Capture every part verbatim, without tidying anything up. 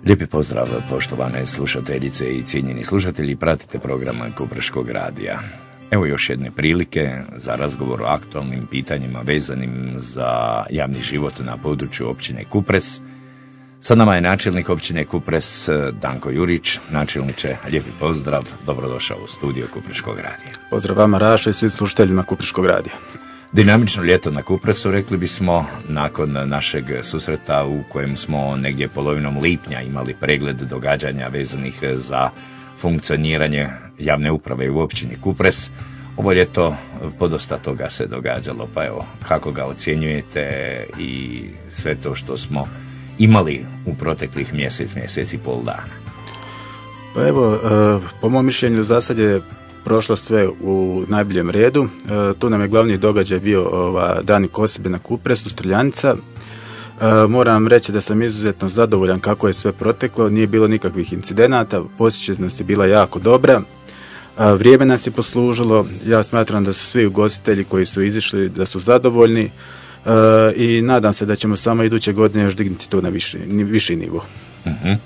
Lijepi pozdrav, poštovane slušateljice i cijenjeni slušatelji, pratite program Kupreškog radija. Evo još jedne prilike za razgovor o aktualnim pitanjima vezanim za javni život na području općine Kupres. Sa nama je načelnik općine Kupres Danko Jurić. Načelniče, lijepi pozdrav, dobrodošao u studio Kupreškog radija. Pozdrav vama, Raša, i svim slušateljima Kupreškog radija. Dinamično ljeto na Kupresu, rekli bismo, nakon našeg susreta u kojem smo negdje polovinom lipnja imali pregled događanja vezanih za funkcioniranje javne uprave u općini Kupres. Ovo ljeto podosta toga se događalo, pa evo, kako ga ocjenjujete i sve to što smo imali u proteklih mjesec, mjesec i pol dana? Pa evo, po mom mišljenju za sad je prošlo sve u najboljem redu. Tu nam je glavni događaj bio ova, Dani Kosebe na Kupresu, Streljanica. Moram reći da sam izuzetno zadovoljan kako je sve proteklo, nije bilo nikakvih incidenata, posjećenost je bila jako dobra, vrijeme nas je poslužilo, ja smatram da su svi ugostitelji koji su izišli da su zadovoljni i nadam se da ćemo samo iduće godine još dignuti to na viši, viši nivo. Uh-huh.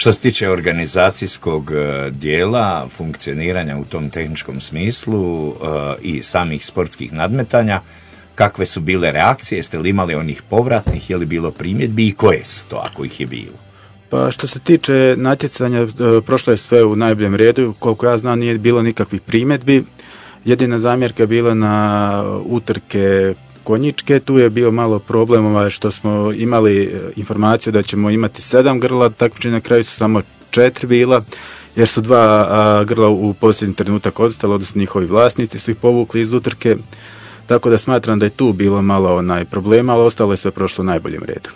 Što se tiče organizacijskog dijela, funkcioniranja u tom tehničkom smislu uh, i samih sportskih nadmetanja, kakve su bile reakcije, jeste li imali onih povratnih, je li bilo primjedbi i koje su to ako ih je bilo? Pa što se tiče natjecanja, prošlo je sve u najboljem redu, koliko ja znam nije bilo nikakvih primjedbi, jedina zamjerka je bila na utrke konjičke, tu je bio malo problem što smo imali informaciju da ćemo imati sedam grla, takmičenja na kraju su samo četiri bila, jer su dva a, grla u posljednji trenutak odstala, odnosno njihovi vlasnici su ih povukli iz utrke, tako da smatram da je tu bilo malo onaj problema, ali ostalo je sve prošlo u najboljem redu.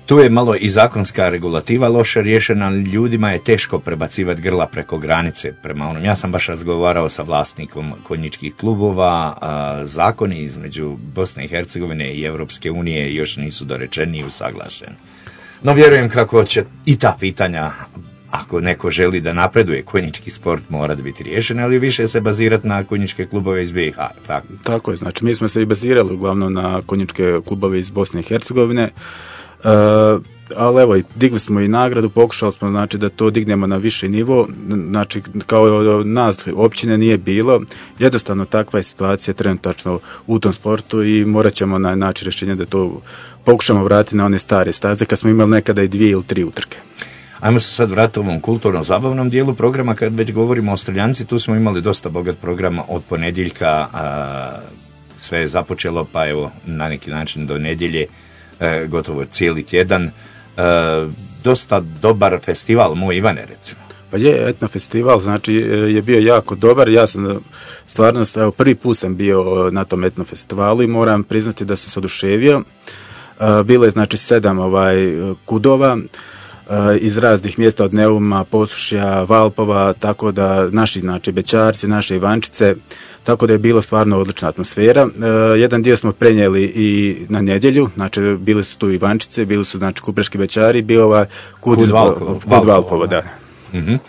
Tu je malo i zakonska regulativa loše riješena, ljudima je teško prebacivati grla preko granice prema onom. Ja sam baš razgovarao sa vlasnikom konjičkih klubova, a, zakoni između Bosne i Hercegovine i Europske unije još nisu dorečeni i usaglašeni. No vjerujem kako će i ta pitanja, ako neko želi da napreduje konjički sport, mora biti riješen, ali više se bazirati na konjičke klubove iz B i H. Tako, tako je, znači mi smo se i bazirali uglavnom na konjičke klubove iz Bosne i Hercegovine. Uh, ali evo, digli smo i nagradu, pokušali smo znači da to dignemo na viši nivo, znači kao nas općine nije bilo, jednostavno takva je situacija trenutačno u tom sportu i morat ćemo na naći rješenje da to pokušamo vratiti na one stare staze kad smo imali nekada i dvije ili tri utrke. Ajmo se sad vratiti u ovom kulturno-zabavnom dijelu programa, kad već govorimo o Streljanci, tu smo imali dosta bogat program od ponedjeljka, a, sve je započelo pa evo na neki način do nedjelje, E, gotovo cijeli tjedan. E, dosta dobar festival, moj Ivane recimo. Pa je, etno festival, znači je bio jako dobar, ja sam stvarno, evo, prvi put sam bio na tom etno festivalu i moram priznati da sam se oduševio. E, bilo je znači sedam ovaj, kudova e, iz raznih mjesta od Neuma, Posušja, Valpova, tako da naši znači Bećarci, naše Ivančice, tako da je bilo stvarno odlična atmosfera. E, jedan dio smo prenijeli i na nedjelju, znači bili su tu Ivančice, bili su znači Kupreški Bećari, bio ovaj Kud, Kud Valpova, Kud Valpova, da. Mm-hmm.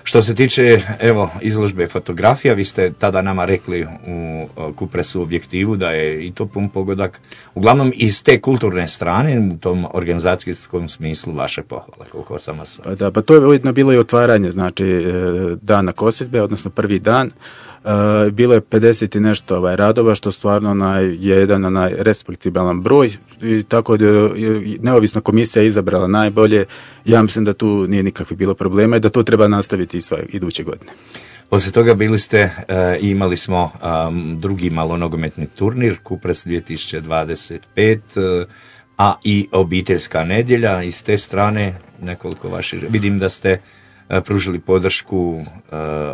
Što se tiče, evo, izložbe fotografija, vi ste tada nama rekli u Kupresu objektivu da je i to pun pogodak, uglavnom iz te kulturne strane, u tom organizacijskom smislu vaše pohvale, koliko sam vas... Pa da, pa to je ujedno bilo i otvaranje, znači dana Kosjedbe, odnosno prvi dan. Uh, bilo je pedeset i nešto ovaj, radova, što stvarno onaj, je jedan onaj, respektibilan broj i tako da je neovisna komisija izabrala najbolje. Ja mislim da tu nije nikakvih bilo problema i da to treba nastaviti i sve iduće godine. Poslije toga bili ste i uh, imali smo um, drugi malonogometni turnir Kupres dvije tisuće dvadeset pet, uh, a i obiteljska nedjelja. Iz te strane nekoliko vaših, vidim da ste pružili podršku uh,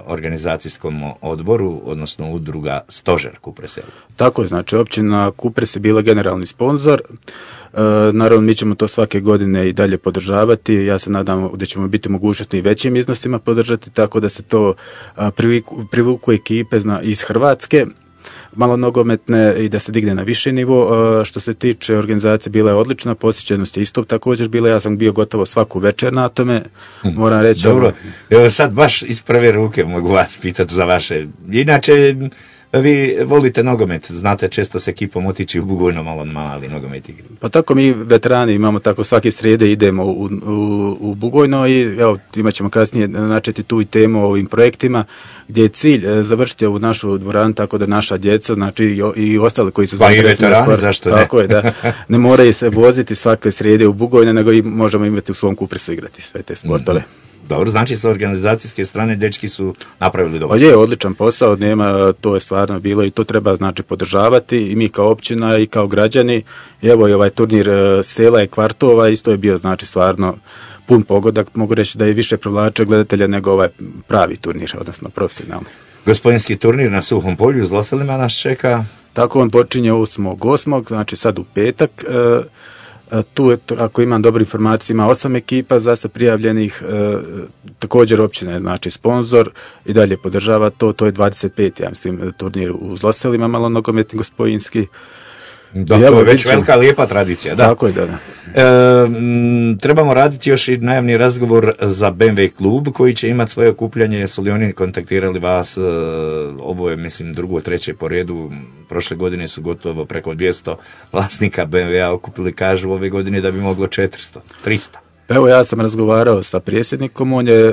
organizacijskom odboru, odnosno udruga Stožer Kupresa. Tako je, znači općina Kupres je bila generalni sponzor. Uh, naravno mi ćemo to svake godine i dalje podržavati. Ja se nadam da ćemo biti u mogućnosti i većim iznosima podržati, tako da se to uh, privuku, privuku ekipe zna, iz Hrvatske, malo nogometne i da se digne na viši nivo. Uh, što se tiče organizacije, bila je odlična, posjećenost je isto također bila, ja sam bio gotovo svaku večer na tome, moram reći. Dobro, evo sad baš iz prve ruke mogu vas pitati za vaše, inače Vi volite nogomet, znate često s ekipom otići u Bugojno malo mali nogomet igri. Pa tako mi veterani imamo tako svake srijede idemo u, u, u Bugojno i evo imat ćemo kasnije načeti tu i temu o ovim projektima gdje je cilj završiti ovu našu dvoranu tako da naša djeca, znači i, i ostali koji su pa i veterani, zašto ne? Tako je, da. Ne moraju se voziti svake srijede u Bugojno, nego i možemo imati u svom Kupresu igrati sve te sportove. Mm-hmm. Dobro, znači sa organizacijske strane dečki su napravili dobro. Pa je, odličan posao, nema, to je stvarno bilo i to treba znači podržavati i mi kao općina i kao građani. I evo i ovaj turnir sela i kvartova isto je bio znači stvarno pun pogodak, mogu reći da je više privlačio gledatelja nego ovaj pravi turnir, odnosno profesionalni. Gospodinski turnir na Suhom polju s Loselima nas čeka. Tako on počinje osmog osmog znači sad u petak. E, Tu, je, ako imam dobru informaciju, ima osam ekipa za se prijavljenih, e, također općina je znači sponsor i dalje podržava to, to je dvadeset peti ja mislim, turnir u Zloselima, malo nogometni gospodinski. Da, to je već velika, lijepa tradicija. Da. Tako je, da, da. E, m, trebamo raditi još i najavni razgovor za B M W klub koji će imati svoje okupljanje. Jesu li oni kontaktirali vas? E, ovo je, mislim, drugo, treće po redu. Prošle godine su gotovo preko dvjesto vlasnika B M W-a okupili, kažu ove godine da bi moglo četiristo, tristo. Evo ja sam razgovarao sa predsjednikom, on je e,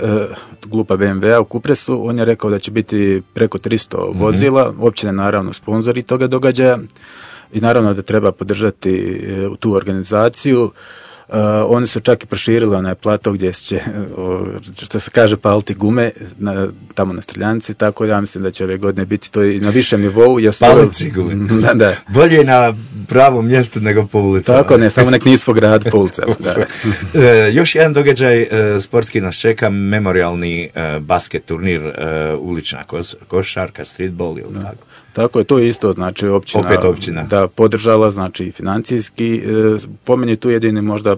kluba B M W-a u Kupresu, on je rekao da će biti preko tristo mm-hmm. vozila, općina naravno sponzori toga događaja. I naravno da treba podržati uh, tu organizaciju. Uh, oni su čak i proširili onaj plato gdje će, uh, što se kaže, paliti gume na, tamo na Streljanci, tako ja mislim da će ove godine biti to i na višem nivou. Paliti gume. Da, da. Bolje na pravom mjestu nego po ulicama. Tako ne, samo nek nisu po gradu, po ulicama. Da. uh, još jedan događaj uh, sportski nas čeka, memorialni uh, basket turnir, uh, ulična kos, košarka, streetball ili tako. Tako je, to je isto, znači općina, opet općina. Da podržala, znači financijski. E, po meni tu jedini možda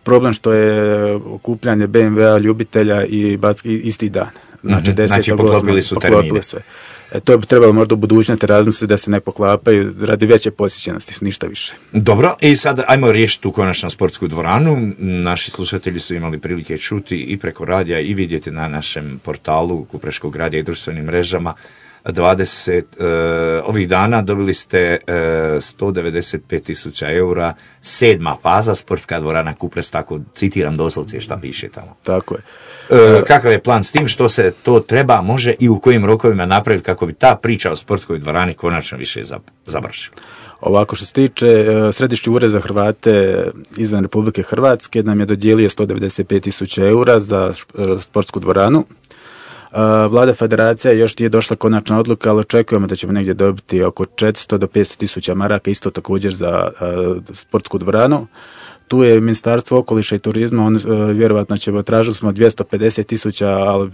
problem što je okupljanje B M W-a ljubitelja i backi isti dan. Znači, mm-hmm. znači poklopili su termine. Sve. E, to bi trebalo možda u budućnosti razmisliti da se ne poklapaju radi veće posjećenosti, ništa više. Dobro, i sad ajmo riješiti tu konačno sportsku dvoranu. Naši slušatelji su imali prilike čuti i preko radija i vidjeti na našem portalu Kupreškog radija i društvenim mrežama. dvadeset uh, ovih dana dobili ste uh, sto devedeset pet tisuća eura, sedma faza, sportska dvorana Kupres, tako citiram doslovce šta piše tamo. Tako je. Uh, kakav je plan s tim, što se to treba, može i u kojim rokovima napraviti kako bi ta priča o sportskoj dvorani konačno više završila? Ovako, što se tiče Središnji ured za Hrvate izvan Republike Hrvatske nam je dodijelio sto devedeset pet tisuća eura za sportsku dvoranu. Vlada federacija još nije došla konačna odluka, ali očekujemo da ćemo negdje dobiti oko četiristo do petsto tisuća maraka, isto također za sportsku dvoranu. Tu je Ministarstvo okoliša i turizma, on, vjerovatno ćemo, tražili smo dvjesto pedeset tisuća, ali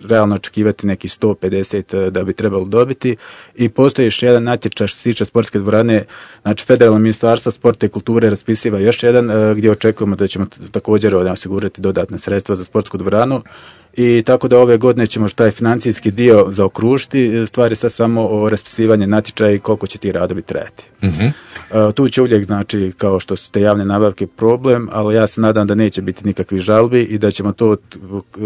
realno očekivati neki sto pedeset da bi trebalo dobiti. I postoji još jedan natječaj što se tiče sportske dvorane, znači Federalno ministarstvo sporta i kulture raspisiva još jedan gdje očekujemo da ćemo također osigurati dodatne sredstva za sportsku dvoranu. I tako da ove godine ćemo taj financijski dio zaokružiti, stvari sad samo o raspisivanju natječaja i koliko će ti radovi trajati. Mm-hmm. Uh, tu će uvijek, znači, kao što su te javne nabavke problem, ali ja se nadam da neće biti nikakvih žalbi i da ćemo to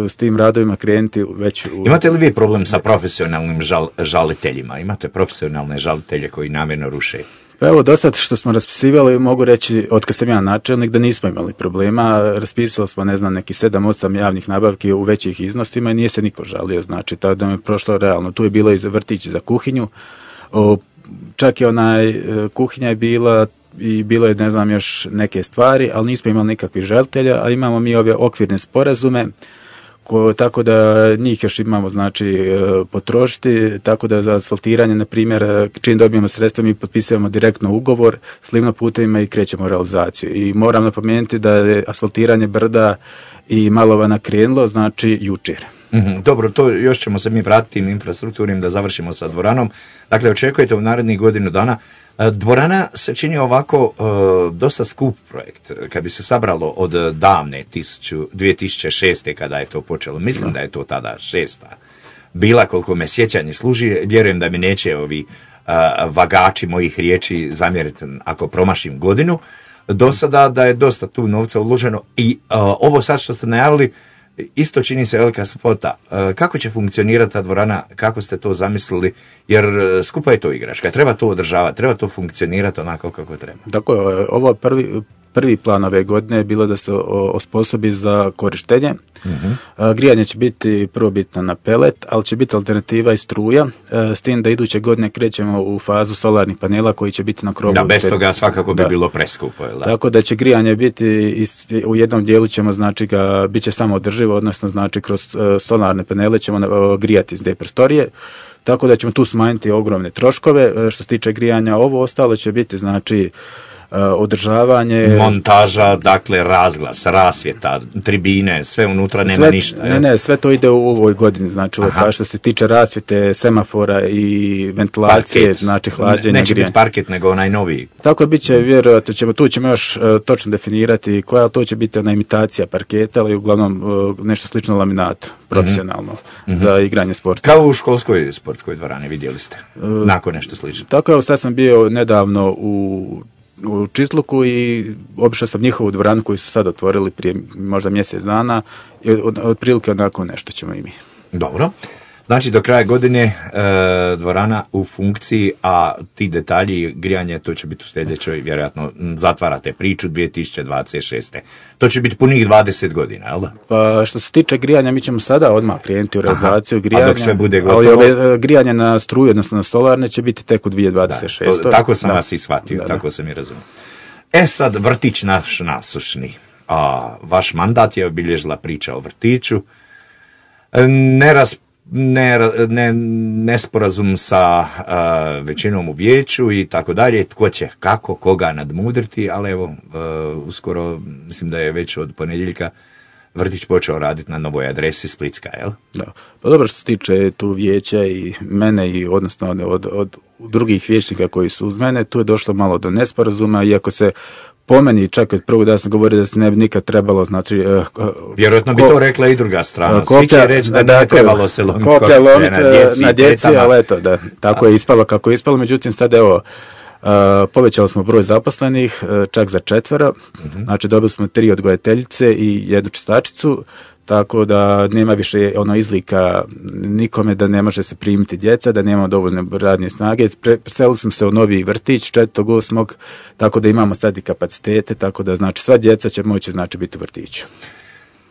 s tim radovima krenuti već u... Imate li vi problem sa profesionalnim žal, žaliteljima? Imate profesionalne žalitelje koji namjerno ruše? Pa evo, do sad što smo raspisivali, mogu reći, od kad sam ja načelnik, da nismo imali problema. Raspisali smo, ne znam, neki sedam osam javnih nabavki u većih iznosima i nije se niko žalio, znači, tako da mi je prošlo realno. Tu je bilo i za vrtić za kuhinju, o, čak i onaj, kuhinja je bila i bilo je, ne znam, još neke stvari, ali nismo imali nikakvih žalitelja, a imamo mi ove okvirne sporazume, Ko, tako da njih još imamo, znači, potrošiti, tako da za asfaltiranje, na primjer, čim dobijemo sredstva, mi potpisujemo direktno ugovor s Livno putevima i krećemo u realizaciju. I moram napomenuti da je asfaltiranje Brda i Malovana krenulo, znači, jučer. Mm-hmm. Dobro, to još ćemo se mi vratiti na infrastrukturnim da završimo sa dvoranom. Dakle, očekujete u narednih godinu dana. Dvorana se čini ovako uh, dosta skup projekt. Kad bi se sabralo od davne tisuću, dvije tisuće šeste kada je to počelo, mislim no. da je to tada šesta bila, koliko me sjećanje služi, vjerujem da mi neće ovi uh, vagači mojih riječi zamjeriti ako promašim godinu. Do sada da je dosta tu novca uloženo i uh, ovo sad što ste najavili, isto čini se velika svota. Kako će funkcionirati ta dvorana, kako ste to zamislili, jer skupa je to igračka, treba to održavati, treba to funkcionirati onako kako treba. Tako je, ovo prvi, prvi plan ove godine je bilo da se osposobi za korištenje. Uh-huh. Grijanje će biti prvobitno na pelet, ali će biti alternativa i struja, s tim da iduće godine krećemo u fazu solarnih panela koji će biti na krovu. Da, bez toga svakako bi da. bilo preskupo. Da? Tako da će grijanje biti, u jednom dijelu ćemo, znači ga, bit će samo održivo, odnosno znači kroz solarne panele ćemo grijati iz te prostorije. Tako da ćemo tu smanjiti ogromne troškove. Što se tiče grijanja, ovo ostalo će biti, znači, održavanje, montaža, dakle razglas, rasvjeta, tribine, sve unutra nema sve, ništa. Ne, ne, sve to ide u ovoj godini, znači ovo, što se tiče rasvjete, semafora i ventilacije, parket. Znači hlađenja, neće biti parket nego onaj noviji. Tako bit će, vjerojatno ćemo, tu ćemo još uh, točno definirati koja, to će biti ona imitacija parketa, ali uglavnom uh, nešto slično laminatu, profesionalno, mm-hmm. za igranje sporta. Kao u školskoj sportskoj dvorani, vidjeli ste, uh, nakon nešto slično. Tako je, sad sam bio nedavno u u Čitluku i obišao sam njihovu dvoranu koju su sad otvorili prije možda mjesec dana i od, otprilike onako nešto ćemo i mi. Dobro. Znači do kraja godine e, dvorana u funkciji, a ti detalji grijanje to će biti u sljedećoj, vjerojatno zatvarate priču dvije tisuće dvadeset šeste. To će biti punih dvadeset godina, jel da? Pa što se tiče grijanja, mi ćemo sada odmah krenuti u realizaciju grijanja. A dok sve bude gotovo? Ali ove, grijanje na struju, odnosno na solarne, će biti tek u dvije tisuće dvadeset šeste. Da, to, tako sam da. vas i shvatio, da, tako da. sam i razumio. E sad, vrtić naš nasušni. A, vaš mandat je obilježila priča o vrtiću. Neraz Ne, ne, nesporazum sa uh, većinom u vijeću i tako dalje, tko će kako, koga nadmudriti, ali evo, uh, uskoro, mislim da je već od ponedjeljka vrtić počeo raditi na novoj adresi Splitska, jel? Da, pa dobro, što se tiče tu vijeća i mene i odnosno od, od, od drugih vijećnika koji su uz mene, tu je došlo malo do nesporazuma, iako se po meni, čak od prvog da sam govorio da se ne bi nikad trebalo, znači... Uh, Vjerojatno ko, bi to rekla i druga strana. Koplja, Svi će reći da, da ne trebalo se lomiti koplja lomit na djeci, na djeci, ali eto, da, tako A. je ispalo kako je ispalo. Međutim, sad evo, uh, povećali smo broj zaposlenih, uh, čak za četvero, uh-huh. znači dobili smo tri odgojiteljice i jednu čistačicu, tako da nema više ono izlika nikome da ne može se primiti djeca, da nema dovoljne radne snage. Preselili smo se u novi vrtić četvrtog osmog tako da imamo sad i kapacitete, tako da znači sva djeca će moći znači biti u vrtiću.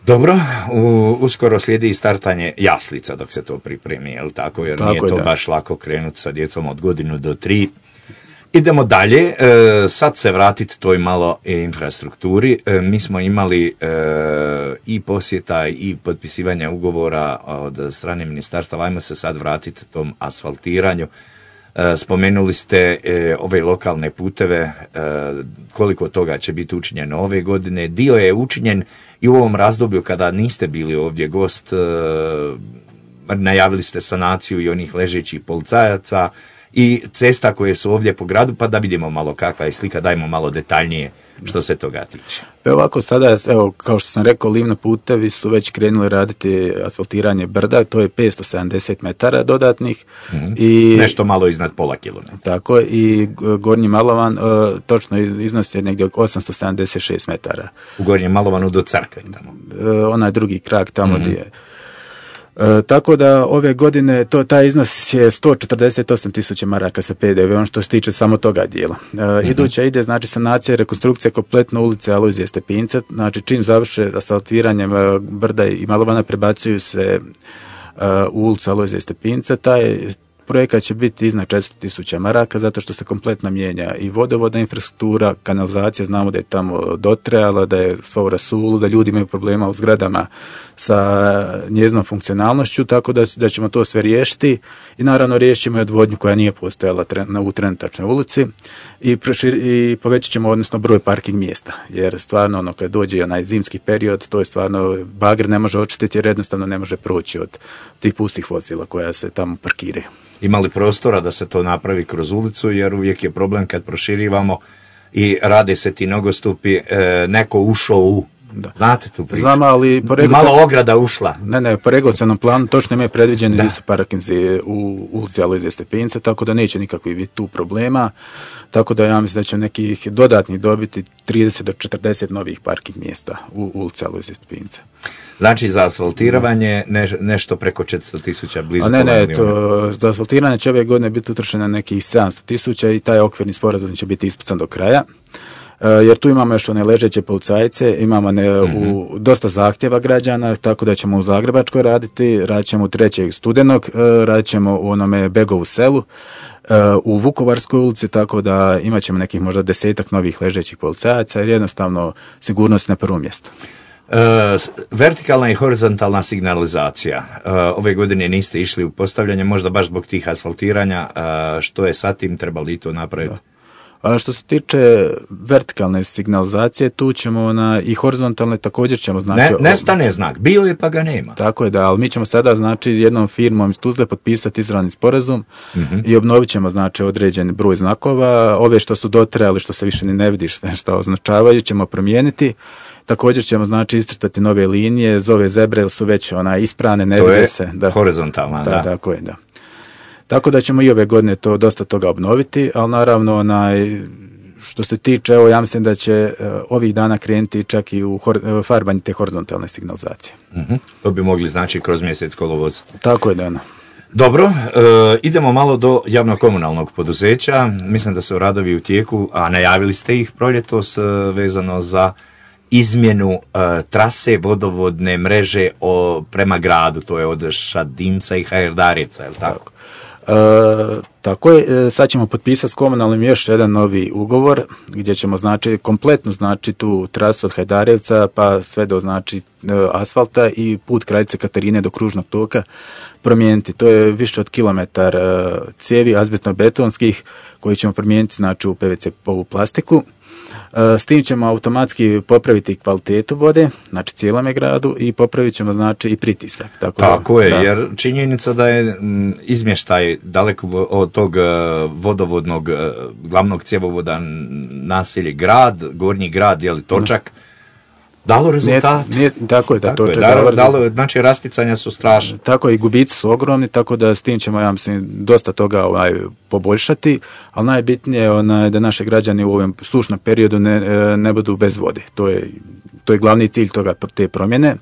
Dobro, u, uskoro slijedi i startanje jaslica dok se to pripremi, jel tako? Jer tako nije je, to da. baš lako krenuti sa djecom od godinu do tri. Idemo dalje, e, sad se vratiti toj malo infrastrukturi. E, mi smo imali e, i posjeta i potpisivanja ugovora od strane ministarstva. Ajmo se sad vratiti tom asfaltiranju. E, spomenuli ste e, ove lokalne puteve, e, koliko toga će biti učinjeno ove godine. Dio je učinjen i u ovom razdoblju kada niste bili ovdje gost. E, najavili ste sanaciju i onih ležećih policajaca i cesta koje su ovdje po gradu, pa da vidimo malo kakva je slika, dajmo malo detaljnije što se toga tiče. Evo ovako sada, evo, kao što sam rekao, livno putevi su već krenuli raditi asfaltiranje brda, to je petsto sedamdeset metara dodatnih. Mm-hmm. I nešto malo iznad pola kilometra. Tako, i Gornji Malovan, uh, točno iznos je negdje osamsto sedamdeset šest metara. U Gornjem Malovanu do Crkve tamo. Uh, onaj drugi krak tamo mm-hmm. gdje je. E, tako da ove godine to, taj iznos je sto četrdeset osam tisuća maraka sa pe de veom što se tiče samo toga dijela. E, mm-hmm. Iduća ide znači sanacija i rekonstrukcija kompletno ulice Alojzije Stepinca, znači čim završe asfaltiranjem brda i Malovana prebacuju se uh, u ulicu Alojzije Stepinca, taj projekat će biti iznad četiristo tisuća maraka zato što se kompletno mijenja i vodovodna infrastruktura, kanalizacija, znamo da je tamo dotrajala, da je sva u rasulu, da ljudi imaju problema u zgradama sa njezinom funkcionalnošću, tako da, da ćemo to sve riješiti i naravno riješit ćemo i odvodnju koja nije postojala tren, u trenutačnoj ulici i, prošir, i povećat ćemo odnosno broj parking mjesta, jer stvarno ono kad dođe onaj zimski period, to je stvarno bager ne može očistiti jer jednostavno ne može proći od tih pustih vozila koja se tamo parkiraju. Imali prostora da se to napravi kroz ulicu, jer uvijek je problem kad proširivamo i rade se ti nogostupi, e, neko ušao u Da. Znate tu priču? Znam, ali po regulacion... malo ograda ušla. Ne, ne, po regulacionom planu točno imaju predviđeni gdje su parkinzi u ulici Alojzija Stepinca, tako da neće nikakvi biti tu problema. Tako da ja mislim da će nekih dodatnih dobiti trideset do četrdeset novih parking mjesta u ulici Alojzija Stepinca. Znači za asfaltiranje ne, nešto preko četiristo tisuća, blizu. A ne, ne, to, za asfaltiranje će ove godine biti utrošeno nekih sedamsto tisuća i taj okvirni sporazum će biti ispucan do kraja. Jer tu imamo još one ležeće policajce, imamo ne, mm-hmm. u, dosta zahtjeva građana, tako da ćemo u Zagrebačkoj raditi, radit ćemo u trećeg studenog, radit ćemo u onome Begovu selu, u Vukovarskoj ulici, tako da imat ćemo nekih možda desetak novih ležećih policajaca, jer jednostavno sigurnost na prvom mjestu. E, vertikalna i horizontalna signalizacija. E, ove godine niste išli u postavljanje, možda baš zbog tih asfaltiranja. E, što je sa tim, trebali to napraviti? Da. A što se tiče vertikalne signalizacije, tu ćemo na, i horizontalne također ćemo znači... Ne, nestane znak, bio je pa ga nema. Tako je, da, ali mi ćemo sada znači jednom firmom iz Tuzle potpisati izravni sporazum mm-hmm. i obnovit ćemo znači određen broj znakova. Ove što su dotrajali, što se više ni ne vidiš što označavaju, ćemo promijeniti. Također ćemo znači iscrtati nove linije, zove zebre su već ona isprane, ne vide se. To je horizontalna, da. da. Tako je, da. Tako da ćemo i ove godine to dosta toga obnoviti, ali naravno onaj, što se tiče, evo ja mislim da će uh, ovih dana krenuti čak i u hor, uh, farbanje te horizontalne signalizacije. Uh-huh. To bi mogli znači kroz mjesec kolovoza. Tako je, da. No. Dobro, uh, idemo malo do javno-komunalnog poduzeća. Mislim da su radovi u tijeku, a najavili ste ih proljetos uh, vezano za izmjenu uh, trase vodovodne mreže o, prema gradu, to je od Šadinca i Hajdarjeca, je li tako? tako. E, tako je, sad ćemo potpisati s komunalnim još jedan novi ugovor gdje ćemo znači kompletno znači tu trasu od Hajdarjevca pa sve do znači asfalta i put Kraljice Katarine do kružnog toka promijeniti. To je više od kilometar cijevi azbestno-betonskih koji ćemo promijeniti znači u P V C ovu plastiku. S tim ćemo automatski popraviti kvalitetu vode, znači cijelome gradu, i popravit ćemo znači i pritisak. Tako, tako da, je, da. Jer činjenica da je izmještaj daleko od tog vodovodnog glavnog cjevovoda naselje grad, gornji grad, je li točak, dalo rezultat. Nije, nije, tako je, da, tako točak, je dalo, dalo, znači rasticanja su strašne. Tako i gubici su ogromni, tako da s tim ćemo, ja mislim, dosta toga ovaj, poboljšati, ali najbitnije je da naši građani u ovom sušnom periodu ne, ne budu bez vode. To je, to je glavni cilj toga, te promjene.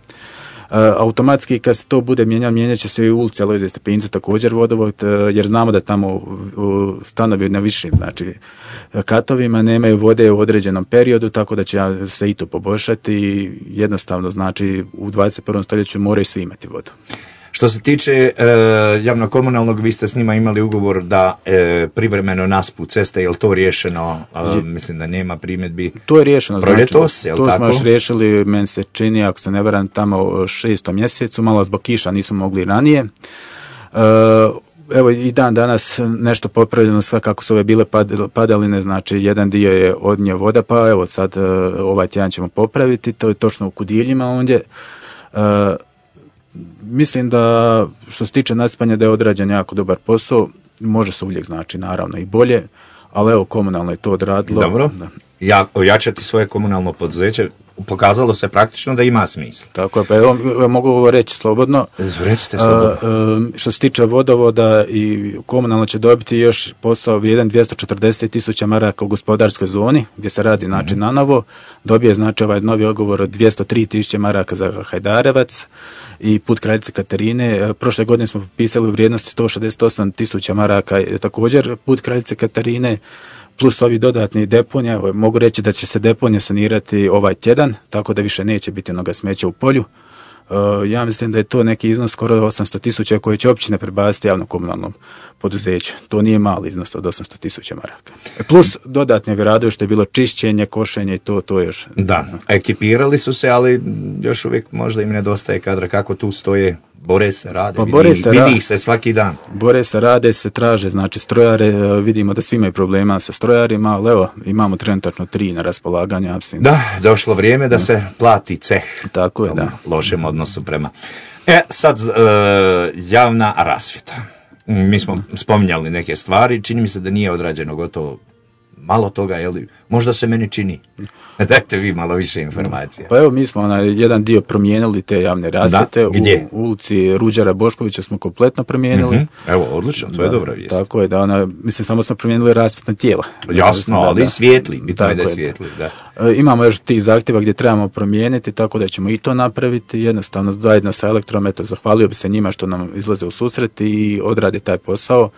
Uh, automatski kad se to bude mijenjalo, mijenjat će se i ulici Alojzija Stepinca također vodovod, uh, jer znamo da tamo uh, stanovi na višim znači, katovima nemaju vode u određenom periodu, tako da će se i to poboljšati i jednostavno znači u dvadeset prvom stoljeću moraju svi imati vodu. Što se tiče e, javno-komunalnog, vi ste s njima imali ugovor da e, privremeno naspu ceste, je li to riješeno? E, mislim da nema primjedbi. To je riješeno. Proljetos, znači, je li to tako? To smo još riješili, meni se čini, ako se ne varam, tamo šestom mjesecu, malo zbog kiša nismo mogli ranije. E, evo i dan danas nešto popravljeno, sve kako su ove bile padaline, znači jedan dio je odnio voda, pa evo sad ovaj tjedan ćemo popraviti, to je točno u Kudiljima ondje. E, Mislim da što se tiče nasipanja da je odrađen jako dobar posao, može se uvijek znači naravno i bolje, ali evo komunalno je to odradilo. Dobro, da. Ja, ojačati svoje komunalno poduzeće, pokazalo se praktično da ima smisla. Tako je, pa evo mogu reći slobodno. Recite slobodno. A, a, što se tiče vodovoda i komunalno će dobiti još posao vrijedan dvjesto četrdeset tisuća maraka u gospodarskoj zoni, gdje se radi znači mm-hmm. na novo, dobije znači ovaj novi ugovor od dvjesto tri tisuće maraka za Hajdarevac i put Kraljice Katarine. Prošle godine smo potpisali u vrijednosti sto šezdeset osam tisuća maraka također put Kraljice Katarine, plus ovi dodatni deponija. Mogu reći da će se deponija sanirati ovaj tjedan, tako da više neće biti onoga smeća u polju. Uh, ja mislim da je to neki iznos skoro osamsto tisuća koje će općine prebaciti javno-komunalnom poduzeću. To nije mali iznos od osamsto tisuća maraka. Plus dodatne radovi što je bilo čišćenje, košenje i to, to još. Da, ekipirali su se, ali još uvijek možda im nedostaje kadra. Kako tu stoje? Bore se, rade, pa vidi, se, vidi ih se svaki dan. Bore se, rade se, traže, znači strojare, vidimo da svi imaju problema sa strojarima, ali evo, imamo trenutačno tri na raspolaganju. Mislim. Da, došlo vrijeme da se plati ceh. Tako je, da. Lošem odnosu prema. E, sad, uh, javna rasvjeta. Mi smo spominjali neke stvari, čini mi se da nije odrađeno gotovo malo toga, jel, možda se meni čini. Dajte vi malo više informacija. Pa evo, mi smo na jedan dio promijenili te javne rasvjete. Gdje? U ulici Ruđera Boškovića smo kompletno promijenili. Mm-hmm. Evo, odlično, to da, je dobra vijest. Tako je, da ona, mislim, samo smo promijenili rasvjetna tijela. Jasno, da, ali da, svijetli, bitno je da je je, svijetli, da. E, imamo još tih zahtjeva gdje trebamo promijeniti, tako da ćemo i to napraviti, jednostavno zajedno sa Elektrom, eto, zahvalio bi se njima što nam izlaze u susret i odrade taj posao.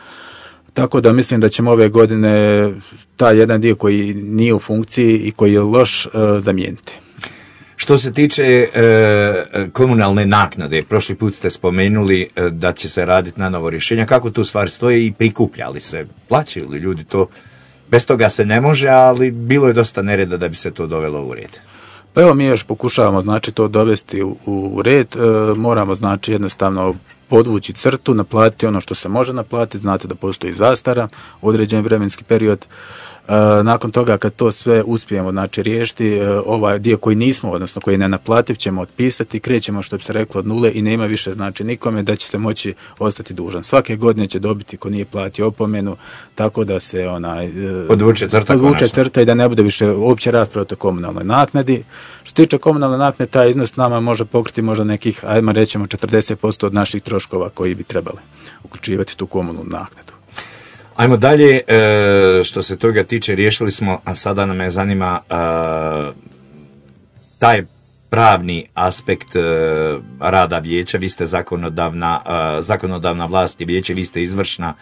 Tako da mislim da ćemo ove godine taj jedan dio koji nije u funkciji i koji je loš, e, zamijeniti. Što se tiče e, komunalne naknade, prošli put ste spomenuli e, da će se raditi na novo rješenje. Kako tu stvar stoji i prikupljali se? Plaćaju li ljudi to? Bez toga se ne može, ali bilo je dosta nereda da bi se to dovelo u red. Pa evo, mi još pokušavamo, znači, to dovesti u, u red. E, moramo, znači, jednostavno podvući crtu, naplatiti ono što se može naplatiti. Znate da postoji zastara, određen vremenski period. E, nakon toga, kad to sve uspijemo, znači, riješiti, e, ovaj dio koji nismo, odnosno koji je nenaplativ, ćemo otpisati, krećemo, što bi se reklo, od nule i nema više, znači, nikome da će se moći ostati dužan. Svake godine će dobiti ko nije platio opomenu, tako da se onaj e, podvuče crta, podvuče crta i da ne bude više uopće rasprava o komunalnoj naknadi. Što se tiče komunalne naknade, taj iznos nama može pokriti možda nekih, ajmo rećemo, četrdeset posto od naših troškova koji bi trebali uključivati tu komunalnu naknadu. Ajmo dalje, e, što se toga tiče, riješili smo, a sada nam je zanima e, taj pravni aspekt e, rada vijeća. Vi ste zakonodavna, e, zakonodavna vlast i vijeće, vi ste izvršna.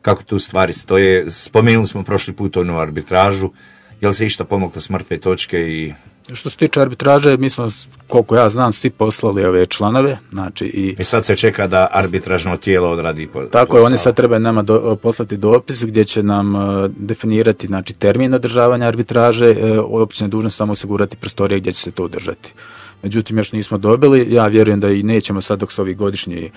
Kako tu stvari stoje? Spomenuli smo prošli put onu arbitražu. Je li se išta pomoglo s mrtve točke? I što se tiče arbitraže, mi smo, koliko ja znam, svi poslali ove članove. Znači i, I sad se čeka da arbitražno tijelo odradi po, tako posao. Je, oni sad trebaju nama do, poslati dopis gdje će nam uh, definirati, znači, termin održavanja arbitraže. Uh, općina je dužna samo osigurati prostorije gdje će se to održati. Međutim, još nismo dobili. Ja vjerujem da i nećemo sad dok su ovi godišnji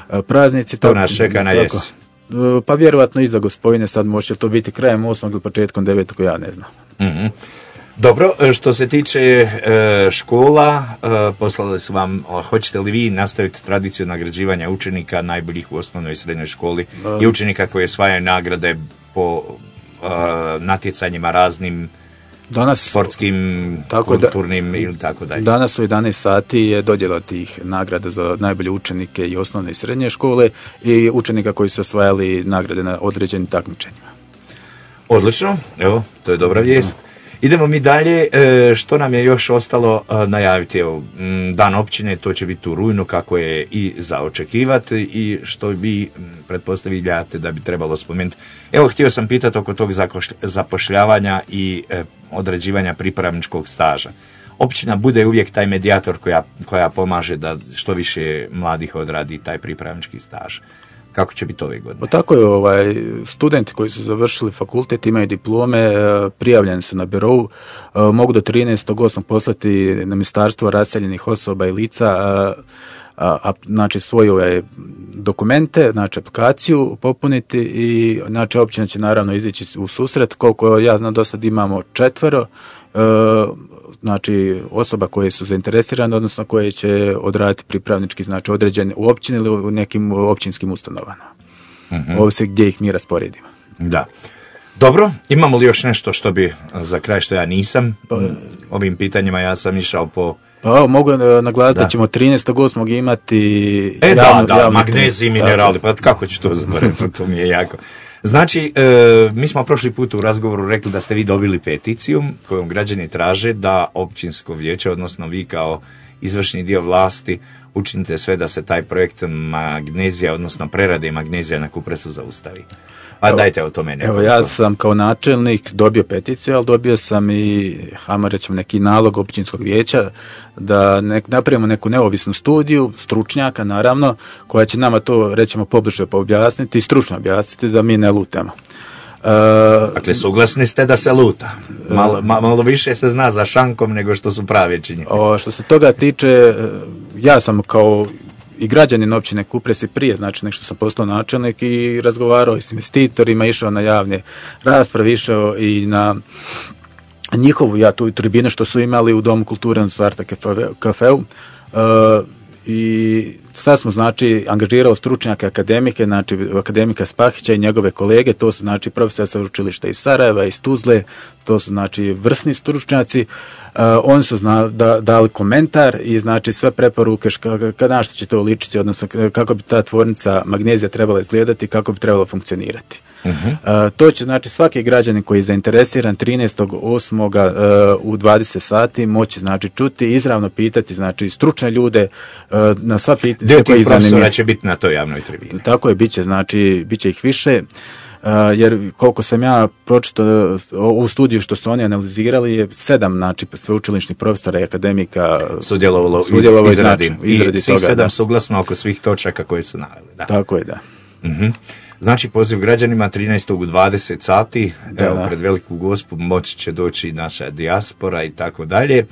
uh, praznici. To tako, nas čeka na jesen. Uh, pa vjerovatno iza Gospojine, sad može to biti krajem osmog ili početkom devetog, ja ne znam. Mm-hmm. Dobro, što se tiče e, škola, e, poslali su vam, hoćete li vi nastaviti tradiciju nagrađivanja učenika najboljih u osnovnoj i srednjoj školi uh, i učenika koji osvajaju nagrade po e, natjecanjima raznim, danas, sportskim, tako kulturnim da, ili tako dalje? Danas u jedanaest sati je dodjela tih nagrada za najbolje učenike i osnovne i srednje škole i učenika koji su osvajali nagrade na određenim takmičenjima. Odlično, evo, to je dobra vijest. Idemo mi dalje, što nam je još ostalo najaviti. Evo, dan općine, to će biti u rujnu, kako je i za očekivati i što vi pretpostavljate da bi trebalo spomenuti. Evo, htio sam pitati oko tog zapošljavanja i određivanja pripravničkog staža. Općina bude uvijek taj medijator koja, koja pomaže da što više mladih odradi taj pripravnički staž. Kako će biti ove godine? Pa tako je, ovaj, studenti koji su završili fakultet, imaju diplome, prijavljeni su na birou, mogu do trinaestog osmog poslati na Ministarstvo raseljenih osoba i lica, a, a, znači svoje ove dokumente, znači aplikaciju popuniti i znači općina će naravno izići u susret. Koliko ja znam, do sad imamo četvero znači osoba koje su zainteresirane, odnosno koje će odraditi pripravnički, znači određene u općini ili u nekim općinskim ustanovama. Mm-hmm. Ovisi gdje ih mi rasporedimo. Da. Dobro, imamo li još nešto što bi za kraj, što ja nisam? Pa, ovim pitanjima ja sam išao po... Pa, mogu naglasiti da. da ćemo trinaestog osmog imati... E javnu, da, da, magnezij, minerali, pa kako ću to zaboraviti, to mi je jako... Znači, e, mi smo prošli put u razgovoru rekli da ste vi dobili peticiju kojom građani traže da općinsko vijeće, odnosno vi kao izvršni dio vlasti, učinite sve da se taj projekt magnezija, odnosno prerade magnezija na Kupresu zaustavi. Pa evo, dajte o tome nekoliko. Evo, ja sam kao načelnik dobio peticiju, ali dobio sam i, hajmo reći, neki nalog općinskog vijeća da nek, napravimo neku neovisnu studiju, stručnjaka naravno, koja će nama to, rećemo, pobliže objasniti i stručno objasniti da mi ne lutamo. Uh, dakle, suglasni ste da se luta. Malo, malo više se zna za šankom nego što su prave činjenice. O, što se toga tiče, ja sam kao i građanin općine Kupres i prije, znači nek što sam postao načelnik i razgovarao i s investitorima, išao na javne rasprave, išao i na njihovu, ja tu tribine što su imali u Domu kulture na Starta kafeu. Uh, I sad smo znači angažirali stručnjake akademike, znači akademika Spahića i njegove kolege, to su znači profesori sa učilišta iz Sarajeva, iz Tuzle, to su znači vrsni stručnjaci. Uh, oni su zna, da, dali komentar i znači sve preporuke kada na što će to ličiti, odnosno kako bi ta tvornica magnezija trebala izgledati, kako bi trebala funkcionirati. Uh-huh. Uh, to će znači svaki građanin koji je zainteresiran trinaestog osmog Uh, u dvadeset sati moći znači čuti, izravno pitati znači stručne ljude uh, na sva pitanja. Dio tih profesora će biti na toj javnoj tribini. Tako je, bit će, znači, bit će ih više. Uh, jer koliko sam ja pročitao u studiju što su oni analizirali je sedam znači sveučilišnih profesora i akademika sudjelovalo iz, sudjelovalo izradi, znači, izradi i svih toga, sedam da. Suglasno oko svih točaka koje su naveli. Da. Tako je, da. Uh-huh. Znači poziv građanima trinaestog u dvadeset sati, da, evo da. pred Veliku Gospu moći će doći naša dijaspora i tako dalje.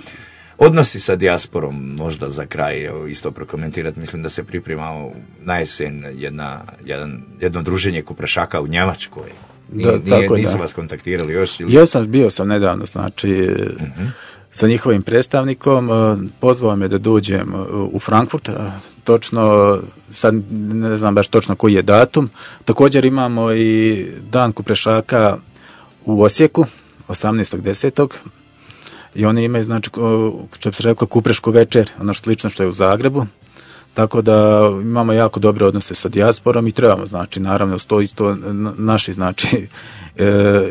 Odnosi sa dijasporom, možda za kraj evo, isto prokomentirati, mislim da se priprema na jesen jedna, jedan, jedno druženje kuprešaka u Njemačkoj. Da, nije, tako je, nisu da. vas kontaktirali još? Ili? Ja sam, bio sam nedavno, znači, uh-huh. sa njihovim predstavnikom, pozvao me da dođem u Frankfurt, točno, sad ne znam baš točno koji je datum. Također imamo i dan kuprešaka u Osijeku, osamnaestog desetog i oni imaju, znači, što bi se reklo, kuprešku večer, ono slično što je u Zagrebu. Tako da imamo jako dobre odnose sa dijasporom i trebamo, znači, naravno, sto isto naši, znači,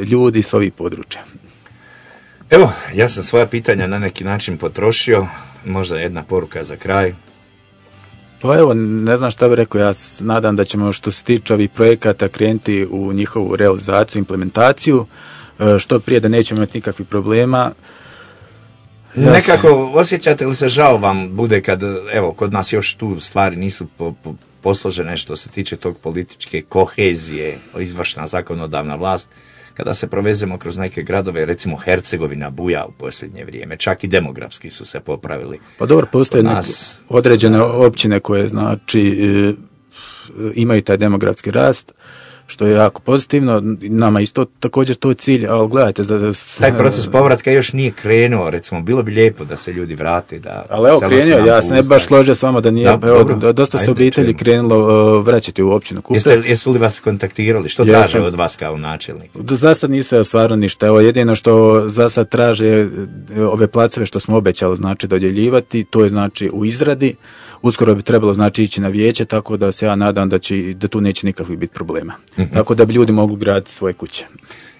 ljudi s ovih područja. Evo, ja sam svoja pitanja na neki način potrošio, možda jedna poruka za kraj. Pa evo, ne znam šta bih rekao, ja se nadam da ćemo što se tiče ovih projekata krenuti u njihovu realizaciju, implementaciju, što prije da nećemo imati nikakvih problema. Ja Nekako sam... osjećate li se žao vam bude kad, evo, kod nas još tu stvari nisu po, po, posložene što se tiče tog političke kohezije, izvršna zakonodavna vlast, kada se provezemo kroz neke gradove, recimo Hercegovina buja u posljednje vrijeme, čak i demografski su se popravili. Pa dobro, postoje nas... određene općine koje znači imaju taj demografski rast, što je jako pozitivno, nama isto također to je cilj, ali gledajte... Da, da, taj proces povratka još nije krenuo, recimo, bilo bi lijepo da se ljudi vrate, da... Ali evo, krenuo, ja se ne baš složio s vama da nije, da, evo, dobro, dosta se obitelji čujemo. krenulo uh, vraćati u općinu Kuprec. Jeste, jesu li vas kontaktirali? Što ja traže sam, od vas kao načelnik? Za sad nisu stvarno ništa, evo, jedino što za sad traže ove placeve što smo obećali, znači, dodjeljivati, to je, znači, u izradi. Uskoro bi trebalo, znači, ići na vijeće, tako da se ja nadam da, će, da tu neće nikakvih biti problema. Mm-hmm. Tako da bi ljudi mogli graditi svoje kuće.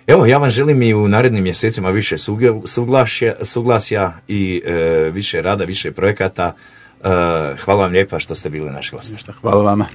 Evo, ja vam želim i u narednim mjesecima više suglasja, suglasja i e, više rada, više projekata. E, hvala vam lijepa što ste bili naš gost. Hvala vama.